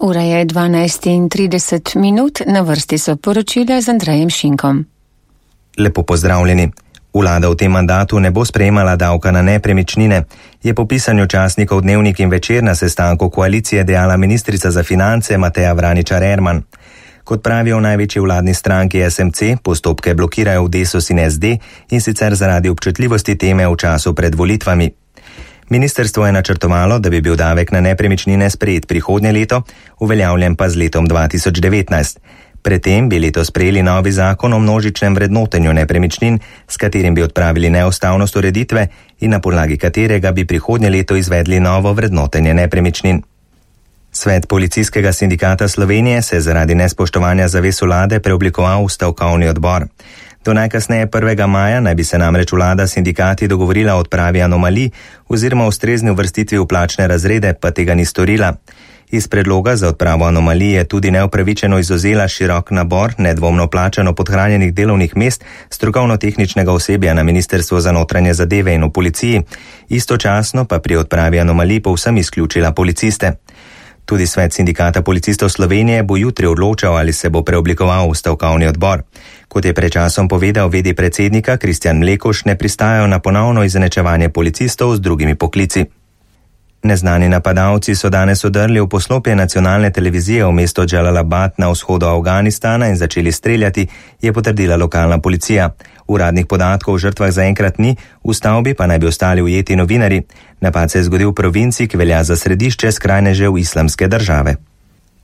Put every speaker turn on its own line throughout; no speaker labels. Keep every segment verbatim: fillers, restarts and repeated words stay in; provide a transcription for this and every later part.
Ura je dvanajst in trideset minut, na vrsti so poročila z Andrejem Šinkom.
Lepo pozdravljeni. Vlada v tem mandatu ne bo sprejemala davka na nepremičnine, je po pisanju časnikov Dnevnik in Večer na sestanku koalicije dejala ministrica za finance Mateja Vraničar-Erman. Kot pravijo v največji vladni stranki S M C, postopke blokirajo v Desus in S D in sicer zaradi občutljivosti teme v času pred volitvami. Ministrstvo je načrtovalo, da bi bil davek na nepremičnine sprejet prihodnje leto, uveljavljen pa z letom dva tisoč devetnajst. Predtem bi letos sprejeli novi zakon o množičnem vrednotenju nepremičnin, s katerim bi odpravili neustavnost ureditve in na podlagi katerega bi prihodnje leto izvedli novo vrednotenje nepremičnin. Svet Policijskega sindikata Slovenije se je zaradi nespoštovanja zavez vlade preoblikoval v stavkovni odbor. Do najkasneje prvega maja naj bi se namreč vlada sindikati dogovorila o odpravi anomalij oziroma ustrezni uvrstitvi v plačne razrede, pa tega ni storila. Iz predloga za odpravo anomalij je tudi neupravičeno izvzela širok nabor nedvomno plačano podhranjenih delovnih mest strokovno-tehničnega osebja na Ministrstvu za notranje zadeve in v policiji, istočasno pa pri odpravi anomalij povsem izključila policiste. Tudi Svet sindikata policistov Slovenije bo jutri odločal, ali se bo preoblikoval v stavkovni odbor. Kot je pred časom povedal vedi predsednika Kristjan Mlekuš, ne pristajajo na ponovno izenačevanje policistov z drugimi poklici. Neznani napadalci so danes odrli v poslopje nacionalne televizije v mesto Džalalabad na vzhodu Afganistana in začeli streljati, je potrdila lokalna policija. Uradnih podatkov o žrtvah zaenkrat ni, v stavbi pa naj bi ostali ujeti novinarji. Napad se je zgodil v provinci, ki velja za središče skrajnežev islamske države.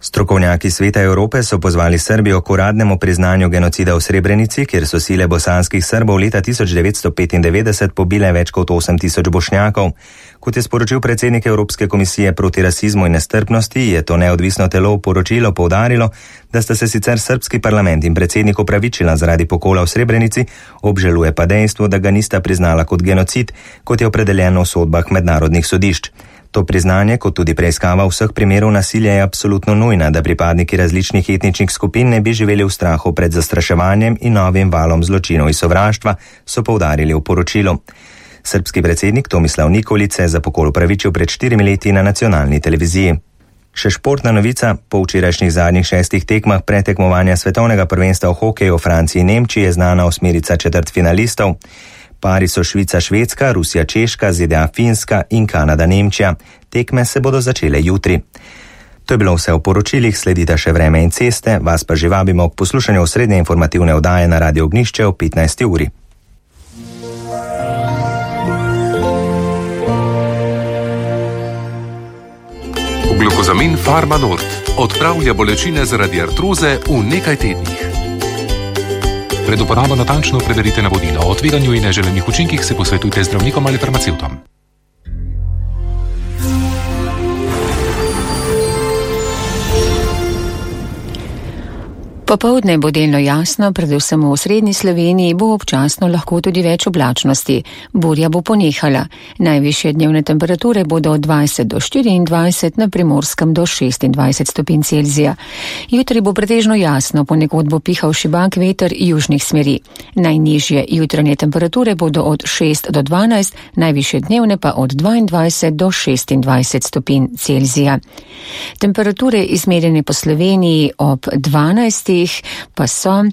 Strokovnjaki Sveta Evrope so pozvali Srbijo k uradnemu priznanju genocida v Srebrenici, kjer so sile bosanskih Srbov leta tisoč devetsto petindevetdeset pobile več kot osem tisoč Bošnjakov. Kot je sporočil predsednik Evropske komisije proti rasizmu in nestrpnosti, je to neodvisno telo v poročilu poudarilo, da sta se sicer srbski parlament in predsednik opravičila zaradi pokola v Srebrenici, obžaluje pa dejstvo, da ga nista priznala kot genocid, kot je opredeljeno v sodbah mednarodnih sodišč. To priznanje, kot tudi preiskava vseh primerov nasilja, je absolutno nujna, da pripadniki različnih etničnih skupin ne bi živeli v strahu pred zastraševanjem in novim valom zločinov in sovraštva, so poudarili v poročilu. Srbski predsednik Tomislav Nikolić se je za pokol opravičil pred štirimi leti na nacionalni televiziji. Še športna novica, po včerajšnjih zadnjih šestih tekmah pretekmovanja svetovnega prvenstva v hokeju v Franciji in Nemčiji je znana osmerica četrtfinalistov. Pari so Švica-Švedska, Rusija-Češka, Z D A-Finska in Kanada-Nemčija. Tekme se bodo začele jutri. To je bilo vse v poročilih, sledita še vreme in ceste, vas pa že vabimo k poslušanju osrednje informativne oddaje na Radio Ognjišče ob petnajsti uri.
Glukozamin Farmanord odpravlja bolečine zaradi artroze v nekaj tednih. Pred uporabo natančno preverite navodila o tveganju in neželenih učinkih, se posvetujte z zdravnikom ali farmacevtom.
Popoldne bo delno jasno, predvsem v osrednji Sloveniji bo občasno lahko tudi več oblačnosti. Burja bo ponehala. Najvišje dnevne temperature bodo od dvajset do štiriindvajset, na Primorskem do šestindvajset stopinj Celzija. Jutri bo pretežno jasno, ponekod bo pihal šibak veter južnih smeri. Najnižje jutranje temperature bodo od šest do dvanajst, najvišje dnevne pa od dvaindvajset do šestindvajset stopinj Celzija. Temperature izmerjene po Sloveniji ob dvanajstih pa so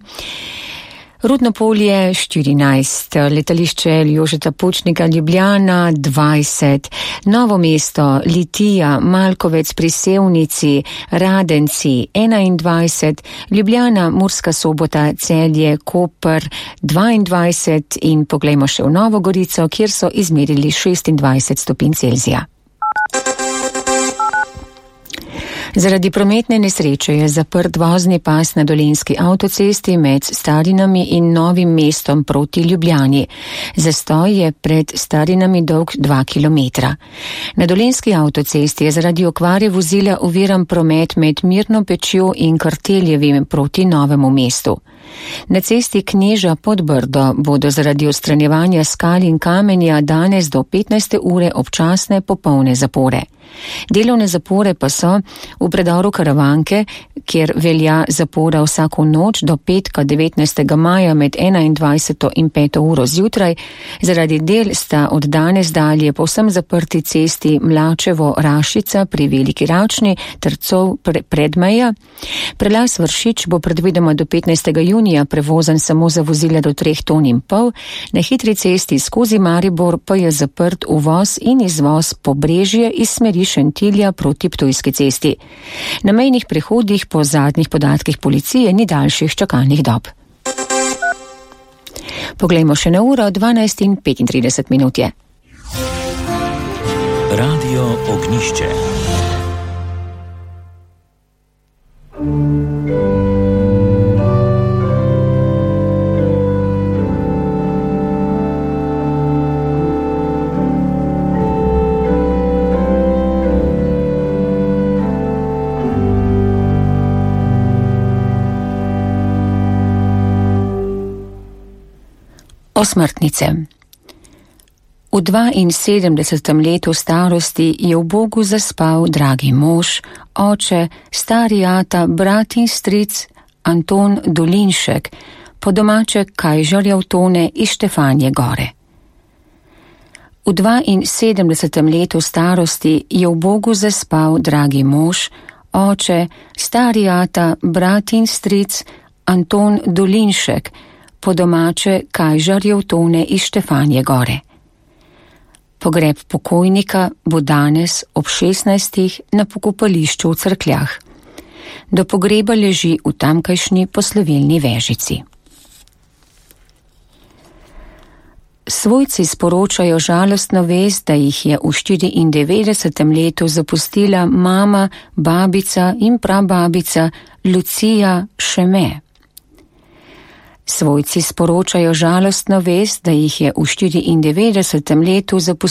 Rudno polje štirinajst, letališče Jožeta Pučnika Ljubljana dvajset, Novo mesto, Litija, Malkovec pri Sevnici, Radenci enaindvajset, Ljubljana, Murska Sobota, Celje, Koper dvaindvajset in poglejmo še v Novo Gorico, kjer so izmerili šestindvajset stopinj Celzija. Zaradi prometne nesreče je zaprt vozni pas na Dolenjski avtocesti med Starinami in Novim mestom proti Ljubljani. Zastoj je pred Starinami dolg dva kilometra. Na Dolenjski avtocesti je zaradi okvare vozila oviran promet med Mirno Pečjo in Karteljevim proti Novemu mestu. Na cesti Kneža pod Brdo bodo zaradi odstranjevanja skal in kamenja danes do petnajste ure občasne popolne zapore. Delovne zapore pa so v predoru Karavanke, kjer velja zapora vsako noč do petka devetnajstega maja med enaindvajseto in peto uro zjutraj. Zaradi del sta od danes dalje povsem zaprti cesti Mlačevo-Rašica pri Veliki Račni ter Cov Predmeja. Prelaz Vršič bo predvidoma do petnajstega junija prevozen samo za vozila do treh ton in pol. Na hitri cesti skozi Maribor pa je zaprt uvoz in izvoz Pobrežje iz smeri Šentilja proti Ptujski cesti. Na mejnih prehodih po zadnjih podatkih policije ni daljših čakalnih dob. Poglejmo še na uro, dvanajst in petintrideset minut je.
Radio Ognjišče.
Osmrtnice. V dvainsedemdesetem letu starosti je v Bogu zaspal dragi mož, oče, stari ata, brat in stric Anton Dolinšek, po domače Kajžarjev Tone iz Štefanje Gore. V dvainsedemdesetem letu starosti je v Bogu zaspal dragi mož, oče, stari ata, brat in stric Anton Dolinšek, po domače Kajžarjev Tone iz Štefanje Gore. Pogreb pokojnika bo danes ob šestnajstih na pokopališču v Cerkljah. Do pogreba leži v tamkajšnji poslovilni vežici. Svojci sporočajo žalostno vest, da jih je v štiriindevetdesetem letu zapustila mama, babica in prababica Lucija Šeme. Svojci sporočajo žalostno vest, da jih je v štiriindevetdesetem letu zapustila